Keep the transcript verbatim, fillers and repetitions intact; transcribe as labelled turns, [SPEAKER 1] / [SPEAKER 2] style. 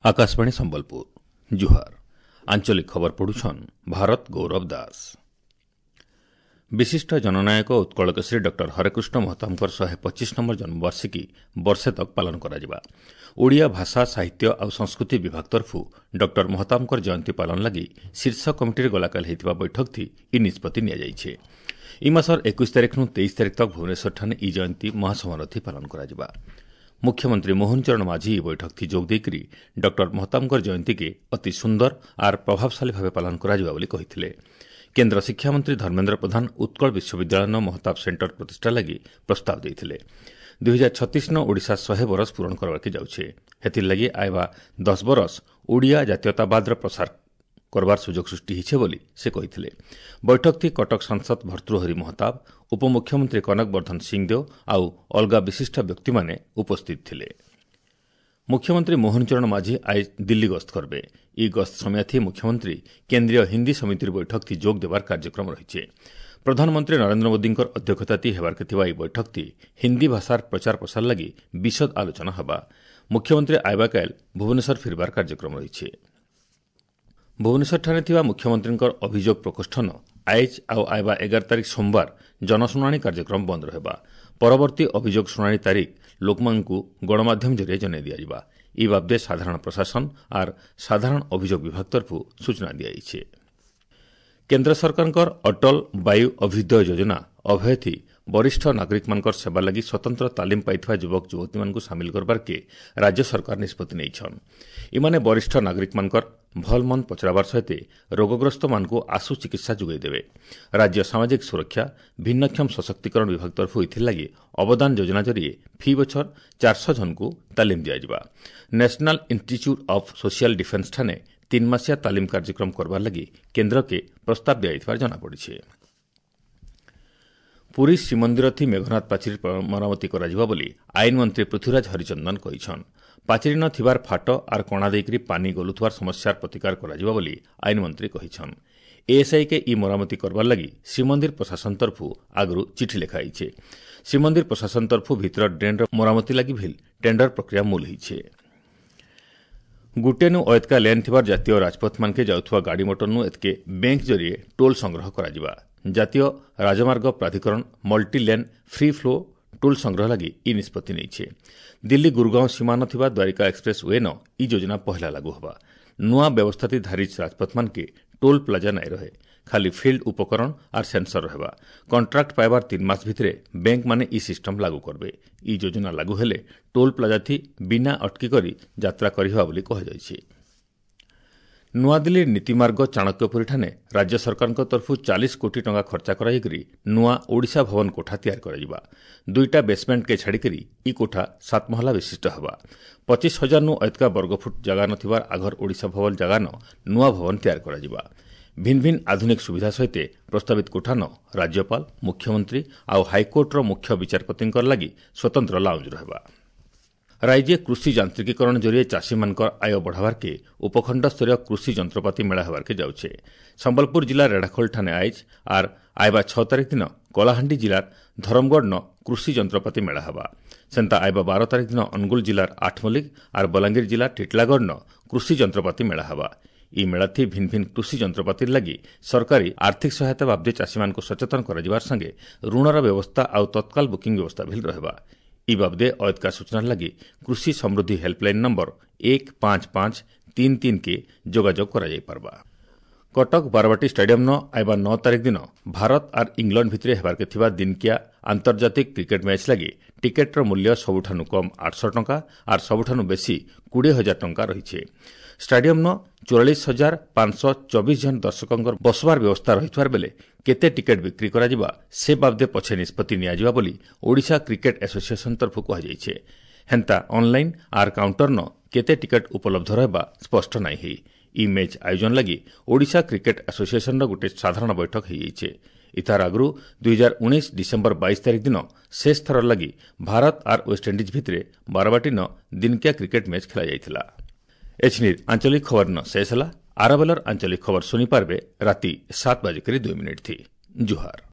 [SPEAKER 1] ଆକାଶବାଣୀ ସମ୍ବଲପୁର ଜୁହାର ଆଞ୍ଚଳିକ ଖବର ପଢୁଛନ୍ ଭାରତ ଗୌରବ ଦାସ ବିଶିଷ୍ଟ ଜନନାୟକ ଉତ୍କଳକେଶରୀ ଡକ୍ଟର ହରେକୃଷ୍ଣ ମହତାବଙ୍କର ଶହେ ପଚିଶ ନମ୍ବର ଜନ୍ମବାର୍ଷିକୀ ବର୍ଷେ ତକ୍ ପାଳନ କରାଯିବା ଓଡ଼ିଆ ଭାଷା ସାହିତ୍ୟ ଆଉ ସଂସ୍କୃତି ବିଭାଗ ତରଫୁ ଡକ୍ଟର ମହତାବଙ୍କର ଜୟନ୍ତୀ ପାଳନ ଲାଗି ଶୀର୍ଷ କମିଟିରେ ଗଲାକାଲି ହୋଇଥିବା ବୈଠକଥି ଇ ନିଷ୍ପତ୍ତି ନିଆଯାଇଛି ଇ ମାସର ଏକୋଇଶ ତାରିଖରୁ ତେଇଶ ତାରିଖ ତକ୍ ଭୁବନେଶ୍ୱରଠାରେ ଇ ଜୟନ୍ତୀ ମହାସମାରୋହଥି ପାଳନ କରାଯିବା ମୁଖ୍ୟମନ୍ତ୍ରୀ ମୋହନ ଚରଣ ମାଝୀ ଏହି ବୈଠକଥି ଯୋଗ ଦେଇକରି ଡକ୍ଟର ମହତାବଙ୍କର ଜୟନ୍ତୀକେ ଅତି ସୁନ୍ଦର ଆର୍ ପ୍ରଭାବଶାଳୀ ଭାବେ ପାଳନ କରାଯିବା ବୋଲି କହିଥିଲେ କେନ୍ଦ୍ର ଶିକ୍ଷାମନ୍ତ୍ରୀ ଧର୍ମେନ୍ଦ୍ର ପ୍ରଧାନ ଉତ୍କଳ ବିଶ୍ୱବିଦ୍ୟାଳୟର ମହତାବ ସେଣ୍ଟର ପ୍ରତିଷ୍ଠା ଲାଗି ପ୍ରସ୍ତାବ ଦେଇଥିଲେ ଦୁଇ ହଜାର ଛତିଶ ନ ଓଡ଼ିଶା ଶହେ ବରଷ ପୂରଣ କରବାକେ ଯାଉଛେ ହେଥିର୍ଲାଗି ଆଇବା ଦଶ ବରଷ ଓଡ଼ିଆ ଜାତୀୟତାବାଦର ପ୍ରସାର କରବାର ସୁଯୋଗ ସୃଷ୍ଟି ହୋଇছে ବୋଲି ସେ କହିଥିଲେ ବୈଠକଥି କଟକ ସାଂସଦ ଭର୍ତ୍ତୃହରି ମହତାବ ଉପମୁଖ୍ୟମନ୍ତ୍ରୀ କନକ ବର୍ଦ୍ଧନ ସିଂଦେଓ ଆଉ ଅଲଗା ବିଶିଷ୍ଟ ବ୍ୟକ୍ତିମାନେ ଉପସ୍ଥିତ ଥିଲେ ମୁଖ୍ୟମନ୍ତ୍ରୀ ମୋହନ ଚରଣ ମାଝୀ ଆଜି ଦିଲ୍ଲୀ ଗସ୍ତ କରିବେ ଇ ଗସ୍ତ ସମୟାଥି ମୁଖ୍ୟମନ୍ତ୍ରୀ କେନ୍ଦ୍ରୀୟ ହିନ୍ଦୀ ସମିତିର ବୈଠକଥି ଯୋଗ ଦେବାର କାର୍ଯ୍ୟକ୍ରମ ରହିଛି ପ୍ରଧାନମନ୍ତ୍ରୀ ନରେନ୍ଦ୍ର ମୋଦୀଙ୍କର ଅଧ୍ୟକ୍ଷତାତି ହେବାର୍କେ ଥିବା ଏହି ବୈଠକଥି ହିନ୍ଦୀ ଭାଷାର ପ୍ରଚାର ପ୍ରସାର ଲାଗି ବିଶଦ ଆଲୋଚନା ହେବା ମୁଖ୍ୟମନ୍ତ୍ରୀ ଆଇବାକାଏଲ ଭୁବନେଶ୍ୱର ଫିରବାର କାର୍ଯ୍ୟକ୍ରମ ରହିଛି ଭୁବନେଶ୍ୱରଠାରେ ଥିବା ମୁଖ୍ୟମନ୍ତ୍ରୀଙ୍କର ଅଭିଯୋଗ ପ୍ରକୋଷ୍ଠନ ଆଇଜ୍ ଆଉ ଆଇବା ଏଗାର ତାରିଖ ସୋମବାର ଜନଶୁଣାଣି କାର୍ଯ୍ୟକ୍ରମ ବନ୍ଦ ରହିବା ପରବର୍ତ୍ତୀ ଅଭିଯୋଗ ଶୁଣାଣି ତାରିଖ ଲୋକମାନଙ୍କୁ ଗଣମାଧ୍ୟମ ଜରିଆରେ ଜଣାଇ ଦିଆଯିବା ଇ ବାବଦେ ସାଧାରଣ ପ୍ରଶାସନ ଆର୍ ସାଧାରଣ ଅଭିଯୋଗ ବିଭାଗ ତରଫରୁ ସୂଚନା ଦିଆଯାଇଛି କେନ୍ଦ୍ର ସରକାରଙ୍କର ଅଟଳ ବାୟୁ ଅଭ୍ୟୁଦୟ ଯୋଜନା ଅଭୟଥି ବରିଷ୍ଠ ନାଗରିକମାନଙ୍କର ସେବା ଲାଗି ସ୍ୱତନ୍ତ୍ର ତାଲିମ ପାଇଥିବା ଯୁବକ ଯୁବତୀମାନଙ୍କୁ ସାମିଲ କରବାର୍କେ ରାଜ୍ୟ ସରକାର ନିଷ୍ପତ୍ତି ନେଇଛନ୍ ଇମାନେ ବରିଷ୍ଠ ନାଗରିକମାନଙ୍କର ଭଲ ମନ୍ଦ ପଚରାବାର ସହିତ ରୋଗଗ୍ରସ୍ତମାନଙ୍କୁ ଆଶୁ ଚିକିତ୍ସା ଯୋଗାଇ ଦେବେ ରାଜ୍ୟ ସାମାଜିକ ସୁରକ୍ଷା ଭିନ୍ନକ୍ଷମ ସଶକ୍ତିକରଣ ବିଭାଗ ତରଫରୁ ଏଥିଲାଗି ଅବଦାନ ଯୋଜନା ଜରିଏ ଫି ବଛର ଚାରିଶହ ଜଣଙ୍କୁ ତାଲିମ ଦିଆଯିବା national institute of social defence ଠାନେ ତିନି ମାସିଆ ତାଲିମ କାର୍ଯ୍ୟକ୍ରମ କରବାର ଲାଗି କେନ୍ଦ୍ରକେ ପ୍ରସ୍ତାବ ଦିଆଯାଇଥିବାର ଜଣାପଡ଼ିଛି ପୁରୀ ଶ୍ରୀମନ୍ଦିରଥି ମେଘନାଦ ପାଚେରୀ ମରାମତି କରାଯିବ ବୋଲି ଆଇନ ମନ୍ତ୍ରୀ ପୃଥ୍ୱୀରାଜ ହରିଚନ୍ଦନ କହିଛନ୍ ପାଚେରୀ ନ ଥିବାର ଫାଟ ଆର୍ କଣା ଦେଇକରି ପାନି ଗଲୁଥିବାର ସମସ୍ୟାର ପ୍ରତିକାର କରାଯିବ ବୋଲି ଆଇନ ମନ୍ତ୍ରୀ କହିଛନ୍ ଏଏସ୍ଆଇକେ ଇ ମରାମତି କରବାର ଲାଗି ଶ୍ରୀମନ୍ଦିର ପ୍ରଶାସନ ତରଫୁ ଆଗରୁ ଚିଠି ଲେଖା ହେଇଛେ ଶ୍ରୀମନ୍ଦିର ପ୍ରଶାସନ ତରଫୁ ଭିତର ଡ୍ରେନ୍ର ମରାମତି ଲାଗି ଭିଲ୍ ଟେଣ୍ଡର ପ୍ରକ୍ରିୟା ମୂଲ ହେଇଛେ ଗୁଟେନୁ ଅଏତକା ଲେନ୍ ଥିବାର ଜାତୀୟ ରାଜପଥମାନକେ ଯାଉଥିବା ଗାଡ଼ି ମଟରନୁ ଏତ୍କେ ବ୍ୟାଙ୍କ ଜରିଏ ଟୋଲ୍ ସଂଗ୍ରହ କରାଯିବା ଜାତୀୟ ରାଜମାର୍ଗ ପ୍ରାଧିକରଣ multi lane free flow toll ସଂଗ୍ରହ ଲାଗି ଇ ନିଷ୍ପତ୍ତି ନେଇছে ଦିଲ୍ଲୀ ଗୁରୁଗାଁଓ ସୀମାନ ଥିବା ଦ୍ୱାରିକା ଏକ୍ସପ୍ରେସ୍ we ନ ଇ ଯୋଜନା ପହଲା ଲାଗୁ ହେବା ନୂଆ ବ୍ୟବସ୍ଥାତି ଧାରି ରାଜପଥମାନକେ ଟୋଲ୍ ପ୍ଲାଜା ନାଇଁ ରହେ ଖାଲି ଫିଲ୍ଡ ଉପକରଣ ଆର୍ ସେନ୍ସର ରହିବା କଣ୍ଟ୍ରାକ୍ଟ ପାଇବାର ତିନି ମାସ ଭିତରେ ବ୍ୟାଙ୍କମାନେ ଇ ସିଷ୍ଟମ ଲାଗୁ କରିବେ ଇ ଯୋଜନା ଲାଗୁ ହେଲେ ଟୋଲ୍ ପ୍ଲାଜାଥି ବିନା ଅଟକି କରି ଯାତ୍ରା କରିହେବା ବୋଲି କୁହାଯାଇଛି ନୂଆଦିଲ୍ଲୀ ନୀତିମାର୍ଗ ଚାଣକ୍ୟପୁରୀଠାରେ ରାଜ୍ୟ ସରକାରଙ୍କ ତରଫରୁ ଚାଳିଶ କୋଟି ଟଙ୍କା ଖର୍ଚ୍ଚ କରାଯାଇକରି ନୂଆ ଓଡ଼ିଶା ଭବନ କୋଠା ତିଆରି କରାଯିବା ଦୁଇଟା ବେସମେଣ୍ଟକେ ଛାଡ଼ିକରି ଇ କୋଠା ସାତ ମହଲା ବିଶିଷ୍ଟ ହେବା ପଚିଶ ହଜାରନୁ ଏତକା ବର୍ଗଫୁଟ ଜାଗା ନଥିବାର ଆଘର ଓଡ଼ିଶା ଭବନ ଜାଗାନ ନୂଆ ଭବନ ତିଆରି କରାଯିବା ଭିନ୍ନ ଭିନ୍ନ ଆଧୁନିକ ସୁବିଧା ସହିତ ପ୍ରସ୍ତାବିତ କୋଠାନ ରାଜ୍ୟପାଳ ମୁଖ୍ୟମନ୍ତ୍ରୀ ଆଉ ହାଇକୋର୍ଟର ମୁଖ୍ୟ ବିଚାରପତିଙ୍କର ଲାଗି ସ୍ୱତନ୍ତ୍ର ଲାଉଞ୍ଜ ରହିବା ରାଜ୍ୟ କୃଷି ଯାନ୍ତ୍ରିକୀକରଣ ଜରିଏ ଚାଷୀମାନଙ୍କର ଆୟ ବଢ଼ାବାର୍କେ ଉପଖଣ୍ଡସ୍ତରୀୟ କୃଷି ଯନ୍ତ୍ରପାତି ମେଳା ହେବାର୍କେ ଯାଉଛେ ସମ୍ବଲପୁର ଜିଲ୍ଲା ରେଢ଼ାଖୋଲଠାନେ ଆଇଜ୍ ଆର୍ ଆଇବା ଛଅ ତାରିଖ ଦିନ କଳାହାଣ୍ଡି ଜିଲ୍ଲାର ଧରମଗଡ଼ନ କୃଷି ଯନ୍ତ୍ରପାତି ମେଳା ହେବା ସେନ୍ତା ଆଇବା ବାର ତାରିଖ ଦିନ ଅନୁଗୁଳ ଜିଲ୍ଲାର ଆଠମଲ୍ଲିକ ଆର୍ ବଲାଙ୍ଗୀର ଜିଲ୍ଲା ଟିଟଲାଗଡ଼ନ କୃଷି ଯନ୍ତ୍ରପାତି ମେଳା ହେବା ଇ ମେଳାଥି ଭିନ୍ନ ଭିନ୍ନ କୃଷି ଯନ୍ତ୍ରପାତିର ଲାଗି ସରକାରୀ ଆର୍ଥିକ ସହାୟତା ବାବଦେ ଚାଷୀମାନଙ୍କୁ ସଚେତନ କରାଯିବାର ସଙ୍ଗେ ଋଣର ବ୍ୟବସ୍ଥା ଆଉ ତତ୍କାଳ ବୁକିଂ ବ୍ୟବସ୍ଥା ଭିଲ୍ ରହିବା ଇ ବାବଦେ ଅୟତକା ସୂଚନା ଲାଗି କୃଷି ସମୃଦ୍ଧି ହେଲ୍ପଲାଇନ୍ ନମ୍ବର ଏକ ପାଞ୍ଚ ପାଞ୍ଚ ତିନି ତିନିକେ ଯୋଗାଯୋଗ କରାଯାଇପାରବା କଟକ ବାରବାଟୀ ଷ୍ଟାଡିୟମ୍ନ ଆଇବା ନଅ ତାରିଖ ଦିନ ଭାରତ ଆର୍ ଇଂଲଣ୍ଡ ଭିତରେ ହେବାର୍କେ ଥିବା ଦିନକିଆ ଆନ୍ତର୍ଜାତିକ କ୍ରିକେଟ୍ ମ୍ୟାଚ୍ ଲାଗି ଟିକେଟ୍ର ମୂଲ୍ୟ ସବୁଠାନୁ କମ୍ ଆଠଶହ ଟଙ୍କା ଆର୍ ସବୁଠାନୁ ବେଶୀ କୋଡ଼ିଏ ହଜାର ଟଙ୍କା ରହିଛି ଷ୍ଟାଡିୟମ୍ନ ଚଉରାଳିଶ ହଜାର ପାଞ୍ଚଶହ ଚବିଶ ଜଣ ଦର୍ଶକଙ୍କର ବସବାର ବ୍ୟବସ୍ଥା ରହିଥିବାର ବେଲେ କେତେ ଟିକେଟ୍ ବିକ୍ରି କରାଯିବା ସେ ବାବଦେ ପଛେ ନିଷ୍ପତ୍ତି ନିଆଯିବା ବୋଲି ଓଡ଼ିଶା କ୍ରିକେଟ୍ ଆସୋସିଏସନ୍ ତରଫରୁ କୁହାଯାଇଛି ହେନ୍ତା ଅନ୍ଲାଇନ୍ ଆର୍ କାଉଣ୍ଟର୍ନ କେତେ ଟିକେଟ୍ ଉପଲବ୍ଧ ରହିବା ସ୍ପଷ୍ଟ ନାଇଁ ହେଇ ଇ ମ୍ୟାଚ୍ ଆୟୋଜନ ଲାଗି ଓଡ଼ିଶା କ୍ରିକେଟ୍ ଆସୋସିଏସନ୍ର ଗୋଟିଏ ସାଧାରଣ ବୈଠକ ହୋଇଯାଇଛି ଇତାର ଆଗରୁ ଦୁଇ ହଜାର ଉଣେଇଶ ଡିସେମ୍ବର ବାଇଶ ତାରିଖ ଦିନ ଶେଷ ଥର ଲାଗି ଭାରତ ଆର୍ ୱେଷ୍ଟଇଣ୍ଡିଜ୍ ଭିତରେ ବାରବାଟୀନ ଦିନକିଆ କ୍ରିକେଟ୍ ମ୍ୟାଚ୍ ଖେଳାଯାଇଥିଲା ଏଛିନିର୍ ଆଞ୍ଚଳିକ ଖବର ନ ଶେଷ ହେଲା ଆରବେଲର ଆଞ୍ଚଳିକ ଖବର ଶୁଣିପାରବେ ରାତି ସାତ ବାଜିକରି ଦୁଇ ମିନିଟ୍ ଥି ଜୁହାର